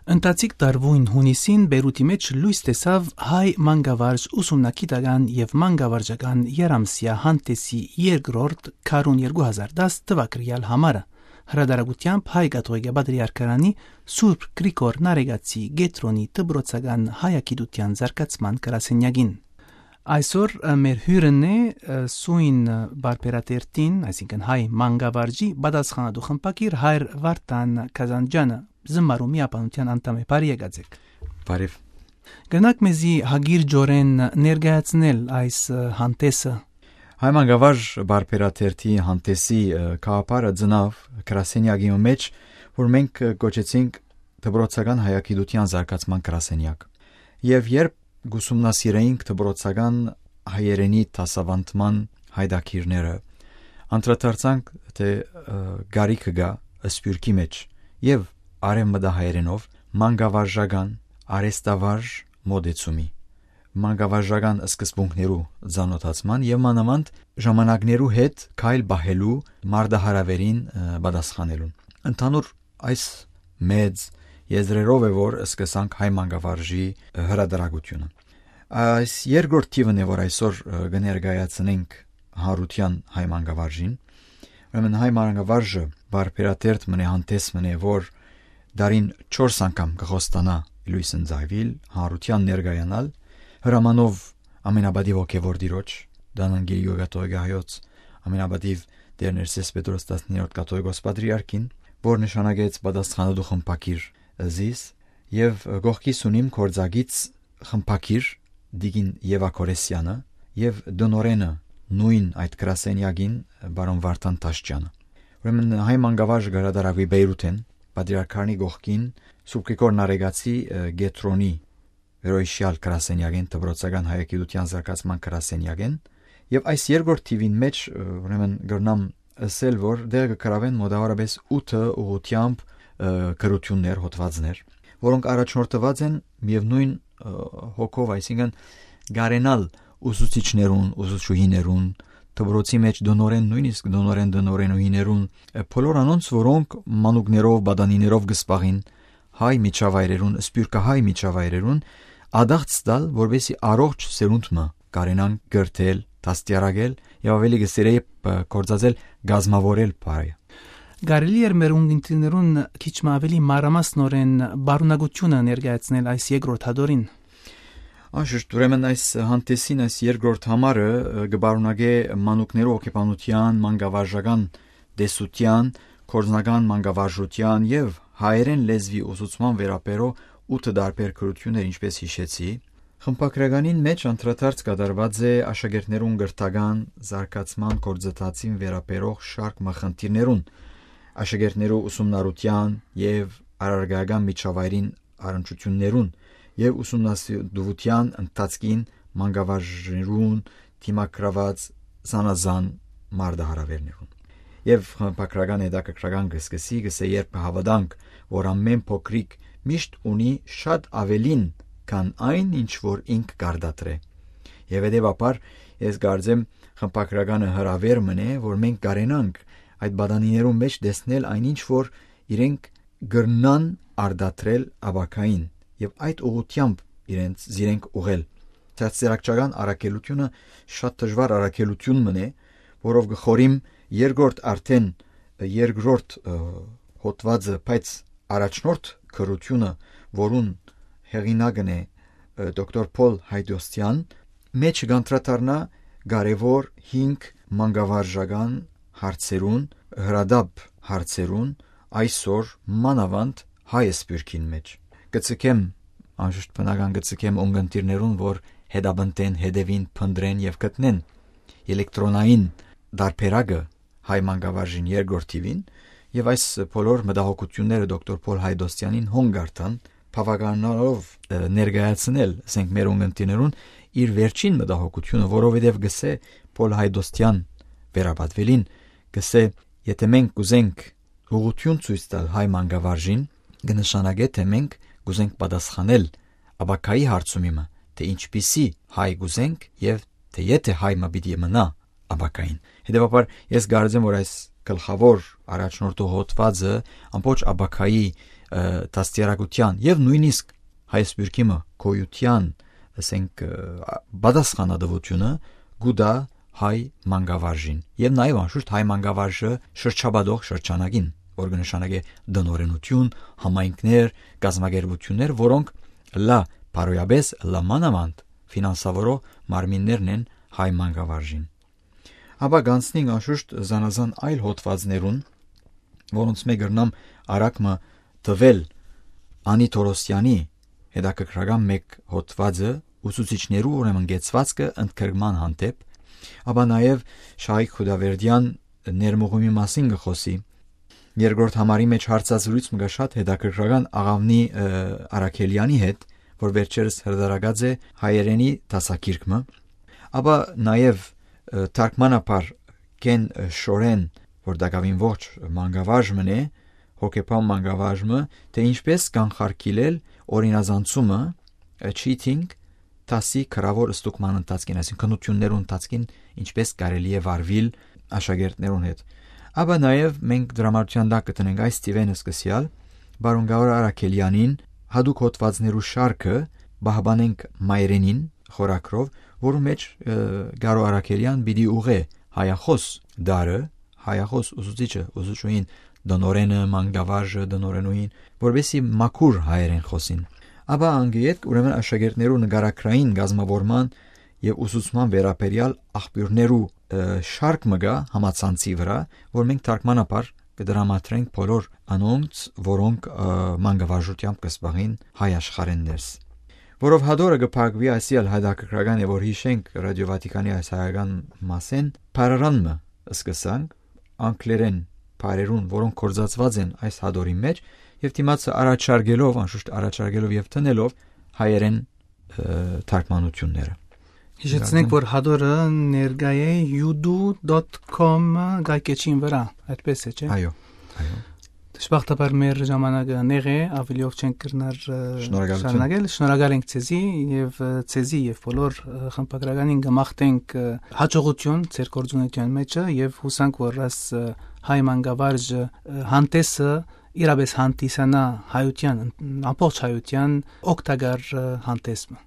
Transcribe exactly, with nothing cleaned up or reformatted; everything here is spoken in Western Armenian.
Ընթացիկ տարուին յունիսին Պէյրութի մէջ լոյս տեսաւ հայ մանկավարժ ուսումնագիտական եւ մանկավարժական եռամսեայ հանդէսի երկրորդ քարոն երկու հազար տաս թուակրեալ համարը, հրատարակութեամբ Հայ կաթողիկէ պատրիարքարանի Սուրբ Գրիգոր Նարեկացի կեդրոնի դպրոցական հայագիտութեան զարգացման գրասենյակին։ Այսօր, ը, մեր հիւրն է, ը, սոյն, ը, պարբերատերտին, այսինքն հայ մանկավարժի պատասխանատու խմբագիր հայր Վարդան Կազանջյանը, զմարու միաբանութեան անդամ է, բարի եկած եք։ Բարի։ Կրնաք մեզի հագիր ջորեն ներկայացնել այս, ը, հանդէսը։ Հայ մանկավարժ պարբերատերտի հանդէսի, ը, գաղափարը ծնաւ գրասենյակի մէջ, որ մենք, ը, կոչեցինք դպրոցական հայագիտութեան զարգացման գրասենյակ։ Եւ երբ կ'ուսումնասիրէինք դպրոցական հայերէնի դասաւանդման յայտագիրները, անդրադարձանք, թէ, ը, կարիքը կայ սփիւռքի մէջ եւ արեւմտահայերէնով մանկավարժական, արհեստավարժ մօտեցումի, մանկավարժական սկզբունքներու ծանօթացման եւ մանաւանդ ժամանակներու հետ քայլ պահելու մարտահրաւերին, ը, պատասխանելուն։ Ընդհանուր այս մեծ եզրերով է, որ սկսանք հայ մանկավարժի, ը, հրատարակութիւնը։ Այս երկրորդ թիվն է, որ այսօր, ը, կը ներկայացնենք հանրութեան հայ մանկավարժին։ Ուրեմն հայ մանկավարժը պարբերատերտ մըն է, հանդէս մըն է, որ դարին չորս անգամ կը խոստանայ լոյս ընծայուիլ, հանրութեան ներկայանալ, հրամանով ամենապատիւ հոգեւոր տիրոջ, Դանան Կիրիոյ կաթողիկէ հայոց, ամենապատիվ Տէր Ներսէս Պետրոս տասներորդ կաթողիկոս պատրիարքին, որ նշանակեց պատասխանատու խմբագիր զիս, եւ կողքիս ունիմ գործակից խմբագիր Տիկին Եվա Քորեսյանը եւ տնօրէնը նոյն այդ գրասենյակին, պարոն Վարդան Թաշճյանը։ Ուրեմն հայ մանկավարժը կը հրատարակուի Պէյրութէն, պատրիարքարանի կողքին, Սուրբ Գրիգոր Նարեկացի, ը, կեդրոնի վերոյիշեալ գրասենյակէն, դպրոցական հայագիտութեան զարգացման գրասենյակէն, եւ այս երկրորդ թիվին մէջ, ը, ուրեմն կրնամ ըսել, որ դեր կը գրաւեն մօտավորապես ութը ուղղութեամբ, ը, գրութիւններ, հոդվածներ, որոնք առաջնորդուած են միեւնոյն, ը, հոգով, այսինքն կարենալ ուսուցիչներուն, ուսուցչուհիներուն, դպրոցի մէջ տնօրէն, նոյնիսկ տնօրէն, տնօրէնուհիներուն, ը, բոլոր անոնց, որոնք մանուկներով, պատանիներով կը զբաղին, հայ միջավայրերուն, սփիւռքահայ միջավայրերուն, ադաղց տալ, որպեսզի առողջ սերունդ մը կարենան կրթել, դաստիարակել եւ, աւելի կը սիրէի, ը, գործածել, կազմաւորել պարը։ Կարելի՞ էր մեր ունկնդիրներուն քիչ մը աւելի մանրամասնօրէն պարունակութիւնը ներկայացնել այս երկրորդ հատորին։ Անշուշտ, ուրեմն այս հանդէսին այս երկրորդ համարը, ը, կը պարունակէ մանուկներու հոգեբանութեան, մանկավարժական տեսութեան, գործնական մանկավարժութեան եւ հայերէն լեզուի ուսուցման վերաբերող ութը տարբեր գրութիւններ, ինչպես յիշեցի։ Խմբագրականին մէջ անդրադարձ կատարուած է աշակերտներուն կրթական զարգացման գործընթացին վերաբերող շարք մը խնդիրներուն, աշակերտներու ուսումնառութեան եւ առարկայական միջավայրին առնչութիւններուն եւ ուսումնասիրութեան ընթացքին մանկավարժներուն դիմագրաւած զանազան մարտահրաւերներուն։ Եւ խմբագրական հետաքրքրական կը սկսի, կսէ, երբ կը հաւատանք, որ ամէն փոքրիկ միշտ ունի շատ աւելին, քան այն, ինչ որ ինք կարտադրէ։ Եւ հետեւաբար, ես կարծեմ, խմբագրականը հրաւեր մըն է, որ մենք կարենանք այդ պատանիներուն մէջ տեսնել այն, ինչ որ իրենք կրնան արտադրել ապագային եւ այդ ուղղութեամբ իրենց զիրենք ուղղել։ Դաստիարակչական առաքելութիւնը շատ դժուար առաքելութիւն մըն է, որով կը խորիմ երկրորդ, արդեն երկրորդ, ը, հոդվածը, բայց առաջնորդ գրութիւնը, որուն հեղինակն է, ը, դոկտոր Փոլ Հայդոստյան, մէջը կանդրադառնայ կարեւոր հինգ մանկավարժական հարցերուն, հրատապ հարցերուն, այսօր մանաւանդ հայ սփիւռքին մէջ։ Կը ձգեմ, անշուշտ բնական կը ձգեմ ունկնդիրներուն, որ հետապնդեն, հետեւին, փնտռեն եւ գտնեն էլեկտրոնային տարբերակը հայ մանկավարժին երկրորդ թիւին, եւ այս բոլոր մտահոգութիւնները դոկտոր Փոլ Հայդոստյանին հոն կարդան, բաւականանալով, ը, ներկայացնել, ասենք, մեր ունկնդիրներուն իր վերջին մտահոգութիւնը, որովհետեւ գսե Փոլ Հայդոստյան վերապատվելին, գսե, եթե մենք կուզենք ուղղութիւն ցոյց տալ հայ մանկավարժին, կը նշանակէ, թէ մենք կուզենք պատասխանել ապագայի հարցումի մը, թէ ինչպիսի հայ կուզենք եւ թէ եթէ հայ մը պիտի մնայ ապագային։ Հետեւաբար, ես կարծեմ, որ այս գլխաւոր առաջնորդող հոդվածը ամբողջ ապագայի, դաստիարակութեան եւ նոյնիսկ հայ սփիւռքի մը գոյութեան, ասենք, պատասխանատուութիւնը կու տայ հայ մանկավարժին։ Եւ նաեւ անշուշտ հայ մանկավարժը շրջապատող շրջանակին, որ կը նշանակէ տնօրէնութիւն, համայնքներ, կազմակերպութիւններ, որոնք լայ բարոյապէս, լայ մանաւանդ ֆինանսաւորող մարմիններն են հայ մանկավարժին։ Ապա կանցնենք անշուշտ զանազան այլ հոդվածներուն, որոնց մէկ կրնամ արագ մը տուել Անի Թորոսյանի հետաքրքրական մէկ հոդվածը, ուսուցիչներու ուրեմն կեցուածքը ընդգրկման հանդէպ, ապա նաեւ Շահիկ Խուդավերդեան ներմուղումի մասին կը խօսի։ Երկրորդ համարի մէջ հարցազրոյց մը կա շատ հետաքրքրական Աղաւնի, ը, Արաքելեանի հետ, որ վերջերս հրատարակած է հայերէնի դասագիրք մը, ապա նաեւ, ը, թարգմանաբար Կեն, ը, Շորեն, որ տակաւին ողջ մանկավարժ մըն է, հոգեբան մանկավարժ մը, թէ ինչպէս կանխարգիլել օրինազանցումը, ը, cheating, դասի գրաւոր ստուգման ընթացքին, այսինքն՝ քննութիւններու ընթացքին ինչպէս կարելի է վարուիլ աշակերտներուն հետ։ Ապա նաեւ մենք դրամատուրգիան տակ կը դնենք այս թիվէն սկսեալ Բարուն Գաուր Արաքելեանին, յատուկ հոդվածներու շարքը «Պահպանենք մայրենին» խորագրով, որու մէջ, ը, Գարու Արաքելեան պիտի ուղղէ հայախոս դարը, հայախոս ուսուցիչը, ուսուցչուհին, տնօրէնը, մանկավարժը, տնօրէնուհին, որպեսզի մաքուր հայերէն խօսին։ Ապա անգետ, ուրեմն, աշակերտներու նկարագրային կազմավորման եւ ուսուցման վերաբերեալ աղբիւրներու, ը, շարք մը կայ համացանցի վրայ, որ մենք թարգմանաբար կը դրամատրենք բոլոր անոնց, որոնք, ը, մանկավարժութեամբ կը զբաղին հայ աշխարհէն ներս։ Որով հատորը կը փակուի այսիալ, հետաքրքրական է, որ յիշենք Ռադիո Վատիկանի այս հայական մասէն, բառարան մը սկսանք, անգլերէն բառերուն, որոնք գործածուած են այս հատորի մէջ, եւ դիմացը առաջարկելով, անշուշտ առաջարկելով եւ տնելով հայերէն, ը, թարգմանութիւնները։ Յիշեցնենք, որ հատորը ներկայ է yudu.com կայքէջին վրա, այդպես է, չէ՞։ Այո, այո։ Դժբախտաբար մեր ժամանակը նեղ է, ավելի ով չենք կրնար, ը, շնորհակալություն, շարունակել։ Շնորհակալ ենք ձեզի եւ, ը, ձեզի եւ բոլոր, ը, խմբագրականին կը մաղթենք, ը, հաջողություն ձեր գործունեության մեջը եւ յուսանք, որ այս, ը, հայ մանկավարժը, ը, հանդեսը իրապես հանդիսանայ հայութեան, ամբողջ հայութեան օգտակար, ը, հանդես մը։